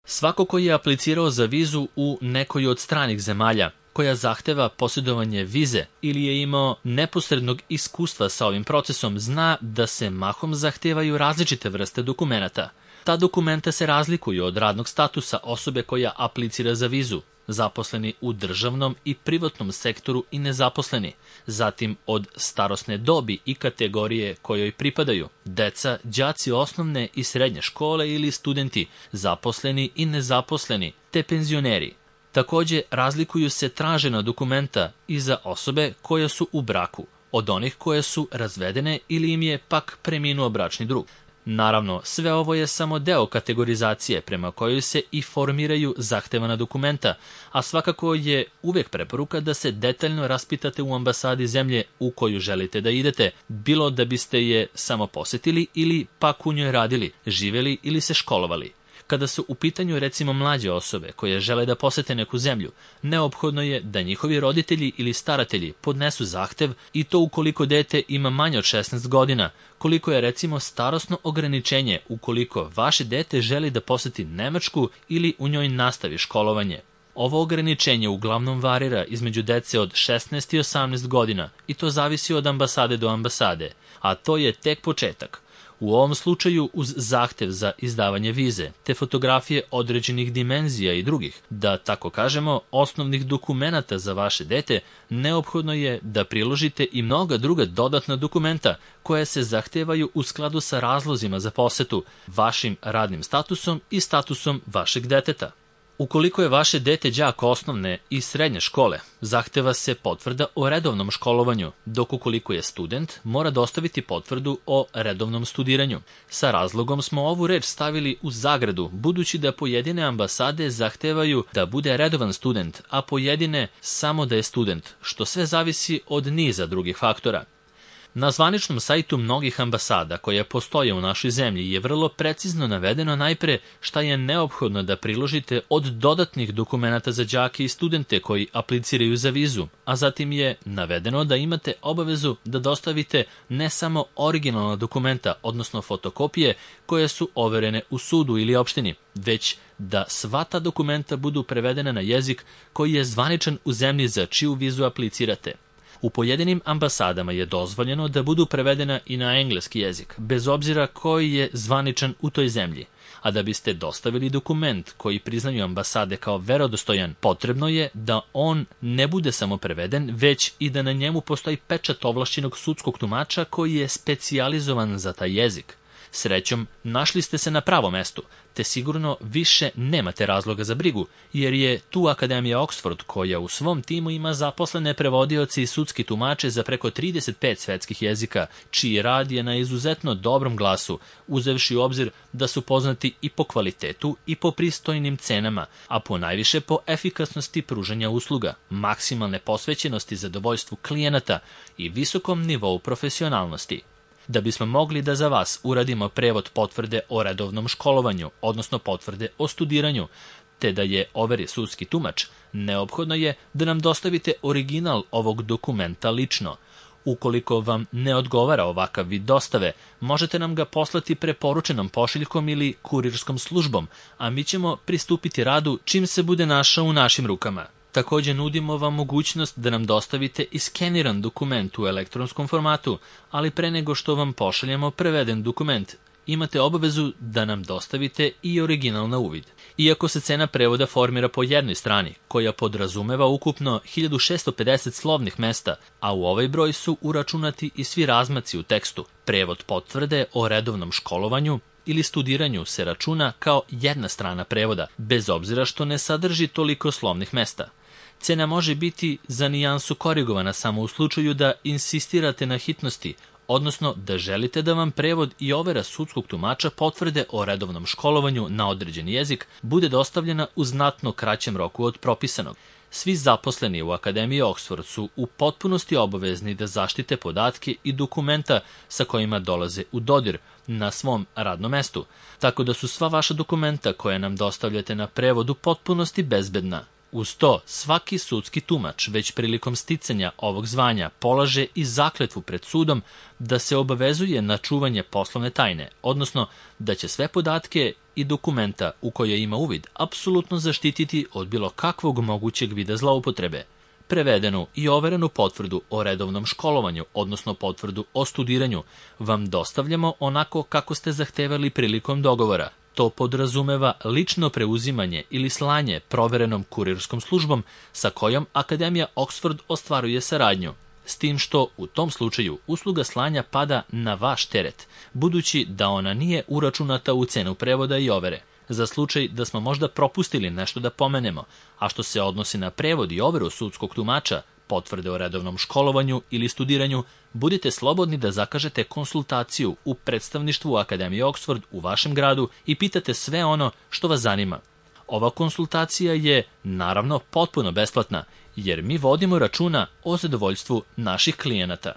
Svako ko je aplicirao za vizu u nekoj od stranih zemalja, koja zahteva posjedovanje vize ili je imao neposrednog iskustva sa ovim procesom, zna da se mahom zahtevaju različite vrste dokumenata. Ta dokumenta se razlikuju od radnog statusa osobe koja aplicira za vizu, zaposleni u državnom i privatnom sektoru i nezaposleni, zatim od starosne dobi i kategorije kojoj pripadaju, deca, đaci osnovne i srednje škole ili studenti, zaposleni i nezaposleni, te penzioneri. Takođe, razlikuju se tražena dokumenta i za osobe koje su u braku, od onih koje su razvedene ili im je pak preminuo bračni drug. Naravno, sve ovo je samo deo kategorizacije prema kojoj se i formiraju zahtevana dokumenta, a svakako je uvek preporuka da se detaljno raspitate u ambasadi zemlje u koju želite da idete, bilo da biste je samo posetili ili pak u njoj radili, živeli ili se školovali. Kada su u pitanju recimo mlađe osobe koje žele da posete neku zemlju, neophodno je da njihovi roditelji ili staratelji podnesu zahtev i to ukoliko dete ima manje od 16 godina, koliko je recimo starosno ograničenje ukoliko vaše dete želi da poseti Nemačku ili u njoj nastavi školovanje. Ovo ograničenje uglavnom varira između dece od 16 i 18 godina i to zavisi od ambasade do ambasade, a to je tek početak. U ovom slučaju uz zahtev za izdavanje vize, te fotografije određenih dimenzija i drugih, da tako kažemo, osnovnih dokumenata za vaše dete, neophodno je da priložite i mnoga druga dodatna dokumenta koja se zahtevaju u skladu sa razlozima za posetu, vašim radnim statusom i statusom vašeg deteta. Ukoliko je vaše dete đak osnovne i srednje škole, zahteva se potvrda o redovnom školovanju, dok ukoliko je student, mora dostaviti potvrdu o redovnom studiranju. Sa razlogom smo ovu reč stavili u zagradu, budući da pojedine ambasade zahtevaju da bude redovan student, a pojedine samo da je student, što sve zavisi od niza drugih faktora. Na zvaničnom sajtu mnogih ambasada koje postoje u našoj zemlji je vrlo precizno navedeno najpre šta je neophodno da priložite od dodatnih dokumenata za đake i studente koji apliciraju za vizu, a zatim je navedeno da imate obavezu da dostavite ne samo originalna dokumenta, odnosno fotokopije koje su overene u sudu ili opštini, već da sva ta dokumenta budu prevedena na jezik koji je zvaničan u zemlji za čiju vizu aplicirate. U pojedinim ambasadama je dozvoljeno da budu prevedena i na engleski jezik, bez obzira koji je zvaničan u toj zemlji. A da biste dostavili dokument koji priznaju ambasade kao verodostojan, potrebno je da on ne bude samo preveden, već i da na njemu postoji pečat ovlašćenog sudskog tumača koji je specijalizovan za taj jezik. Srećom, našli ste se na pravom mestu, te sigurno više nemate razloga za brigu, jer je tu Akademija Oxford koja u svom timu ima zaposlene prevodioci i sudski tumače za preko 35 svetskih jezika, čiji rad je na izuzetno dobrom glasu, uzevši u obzir da su poznati i po kvalitetu i po pristojnim cenama, a ponajviše po efikasnosti pružanja usluga, maksimalne posvećenosti zadovoljstvu klijenata i visokom nivou profesionalnosti. Da bismo mogli da za vas uradimo prevod potvrde o redovnom školovanju, odnosno potvrde o studiranju, te da je overi sudski tumač, neophodno je da nam dostavite original ovog dokumenta lično. Ukoliko vam ne odgovara ovakav vid dostave, možete nam ga poslati preporučenom pošiljkom ili kurirskom službom, a mi ćemo pristupiti radu čim se bude našao u našim rukama. Takođe nudimo vam mogućnost da nam dostavite i skeniran dokument u elektronskom formatu, ali pre nego što vam pošaljemo preveden dokument, imate obavezu da nam dostavite i original na uvid. Iako se cena prevoda formira po jednoj strani, koja podrazumeva ukupno 1650 slovnih mesta, a u ovaj broj su uračunati i svi razmaci u tekstu, prevod potvrde o redovnom školovanju ili studiranju se računa kao jedna strana prevoda, bez obzira što ne sadrži toliko slovnih mesta. Cena može biti za nijansu korigovana samo u slučaju da insistirate na hitnosti, odnosno da želite da vam prevod i overa sudskog tumača potvrde o redovnom školovanju na određeni jezik bude dostavljena u znatno kraćem roku od propisanog. Svi zaposleni u Akademiji Oxford su u potpunosti obavezni da zaštite podatke i dokumenta sa kojima dolaze u dodir na svom radnom mestu, tako da su sva vaša dokumenta koje nam dostavljate na prevod u potpunosti bezbedna. Uz to, svaki sudski tumač već prilikom sticanja ovog zvanja polaže i zakletvu pred sudom da se obavezuje na čuvanje poslovne tajne, odnosno da će sve podatke i dokumenta u koje ima uvid apsolutno zaštititi od bilo kakvog mogućeg vida zloupotrebe. Prevedenu i overenu potvrdu o redovnom školovanju, odnosno potvrdu o studiranju, vam dostavljamo onako kako ste zahtevali prilikom dogovora. To podrazumeva lično preuzimanje ili slanje proverenom kurirskom službom sa kojom Akademija Oxford ostvaruje saradnju. S tim što u tom slučaju usluga slanja pada na vaš teret, budući da ona nije uračunata u cenu prevoda i overe. Za slučaj da smo možda propustili nešto da pomenemo, a što se odnosi na prevod i overu sudskog tumača, potvrde o redovnom školovanju ili studiranju, budite slobodni da zakažete konsultaciju u predstavništvu Akademije Oxford u vašem gradu i pitate sve ono što vas zanima. Ova konsultacija je, naravno, potpuno besplatna, jer mi vodimo računa o zadovoljstvu naših klijenata.